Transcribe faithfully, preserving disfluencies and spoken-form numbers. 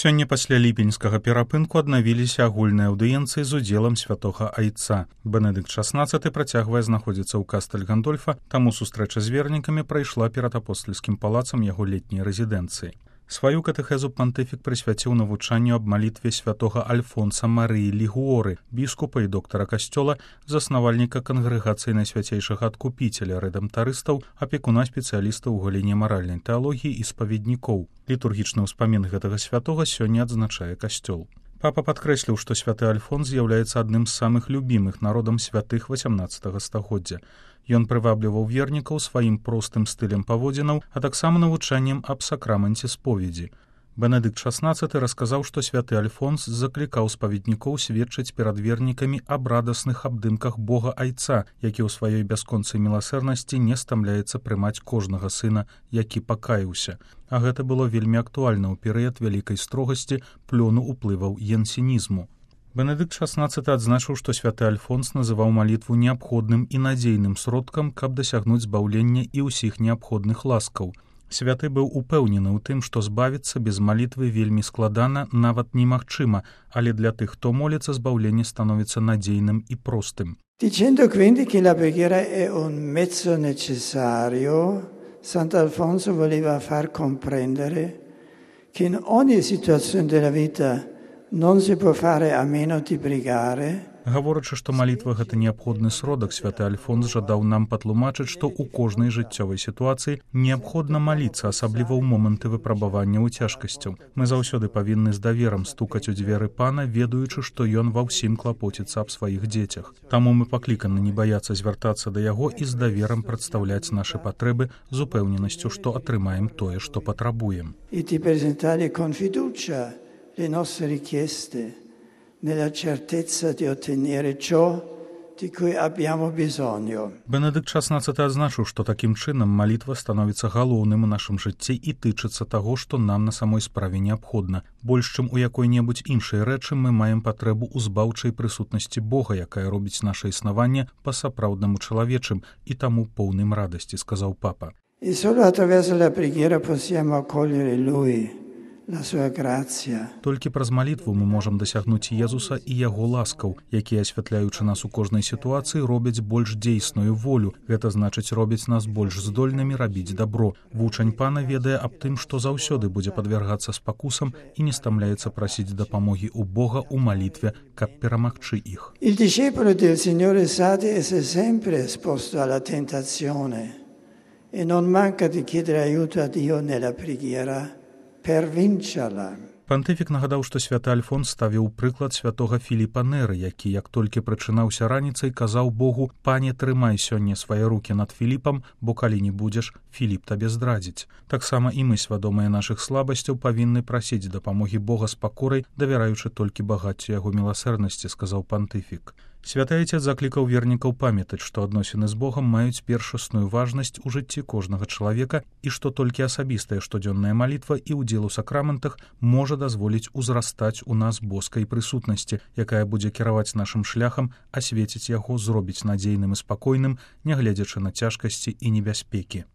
Сёння пасля ліпеньскага перапынку аднавіліся агульныя аўдыенцыі з удзелам святога айца. Бенедыкт шаснаццаты працягвае знаходзіцца ў Кастэль Гандольфа, таму сустрэча з вернікамі прайшла перад апостальскім палацам яго летняй рэзідэнцыі. Сваю катэхезу пантыфік прысвяціў навучанню аб малітве святога Альфонса Марыі Лігуоры, біскупа і доктара касцёла, заснавальніка кангрэгацыі Найсвяцейшага адкупіцеля, рэдэмтарыстаў, апекуна спецыялістаў у галіне маральнай тэалогіі і спаведнікоў. Літургічны ўспамін гэтага святога сёння адзначае касцёл. Папа падкрэсліў, што святы Альфонс з'яўляецца адным з самых любімых народам святых васямнаццатага стагоддзя. Ён прывабліваў вернікаў сваім простым стылем паводзінаў, а таксама навучаннем аб сакраменце споведзі. Бенедыкт шаснаццаты расказаў, што святы Альфонс заклікаў спаведнікоў сведчыць перад вернікамі аб радасных абдымках Бога Айца, які ў сваёй бясконцай міласэрнасці не стамляецца прымаць кожнага сына, які пакаяўся. А гэта было вельмі актуальна ў перыяд вялікай строгасці, плёну ўплываў янсенізму. Бенедыкт шаснаццаты адзначыў, што святы Альфонс называў малітву неабходным і надзейным сродкам, каб дасягнуць збаўлення і ўсіх неабходных ласкаў. Святы быў упэўнены ў тым, што збавіцца без малітвы вельмі складана, нават немагчыма, але для тых, хто моліцца, збаўленне становіцца надзейным і простым. Dicendo quindi che la preghiera è un mezzo necessario, Sant'Alfonso voleva far comprendere che in ogni situazione della vita non si può fare a meno di pregare. Гаворачы, што малітва гэта неабходны сродак, святы Альфонс жадаў нам патлумачыць, што ў кожнай жыццёвай сітуацыі неабходна маліцца, асабліва ў моманты выпрабавання ў цяжкасцяў. Мы заўсёды павінны з даверам стукаць у дзверы пана, ведаючы, што ён ва ўсім клапоціцца аб сваіх дзецях. Таму мы пакліканы не баяцца звяртацца да яго і з даверам прадстаўляць нашы патрэбы з упэўненасцю, што атрымаем тое, што патрабуем. І ти презентare con fiducia le nostre richieste, nella certezza di ottenere ciò di cui abbiamo bisogno. Бенедыкт шаснаццаты адзначыў, што такім чынам малітва становіцца галоўным у нашым жыцці і тычыцца таго, што нам на самой справе неабходна. Больш чым у якой-небудзь іншай рэчы мы маем патрэбу ў збаўчай прысутнасці Бога, якая робіць наша існаванне па-сапраўднаму чалавечым і таму поўным радасці, сказаў папа. E solo attraverso la preghiera possiamo accogliere Lui. Толькі праз малітву мы можам дасягнуць Езуса і яго ласкаў, якія, асвятляючы нас у кожнай сітуацыі, робяць больш дзейсную волю. Гэта значыць, робяць нас больш здольнымі рабіць дабро. Вучань пана ведае аб тым, што заўсёды будзе падвяргацца спакусам і не стамляецца прасіць дапамогі ў Бога ў малітве, каб перамагчы іх. Il discepolo del Signore sa di essere sempre esposto alla tentazione e non manca di chiedere aiuto a Dio nella preghiera. Пантыфік нагадаў, што святы Альфонс ставіў прыклад святога Філіпа Неры, які, як толькі прачынаўся раніцай, казаў Богу: «Пане, трымай сёння свае рукі над Філіпам, бо калі не будзеш, Філіп табе здрадзіць». Таксама і мы, свядомыя нашых слабасцяў, павінны прасіць дапамогі Бога з пакорай, давяраючы толькі багаццю яго міласэрнасці, сказаў пантыфік. Святы Айцец заклікаў вернікаў памятаць, што адносіны з Богам маюць першасную важнасць у жыцці кожнага чалавека і што толькі асабістая штодзённая малітва і ўдзел у сакраментах можа дазволіць узрастаць у нас боскай прысутнасці, якая будзе кіраваць нашым шляхам, асвеціць яго, зробіць надзейным і спакойным, нягледзячы на цяжкасці і небяспекі.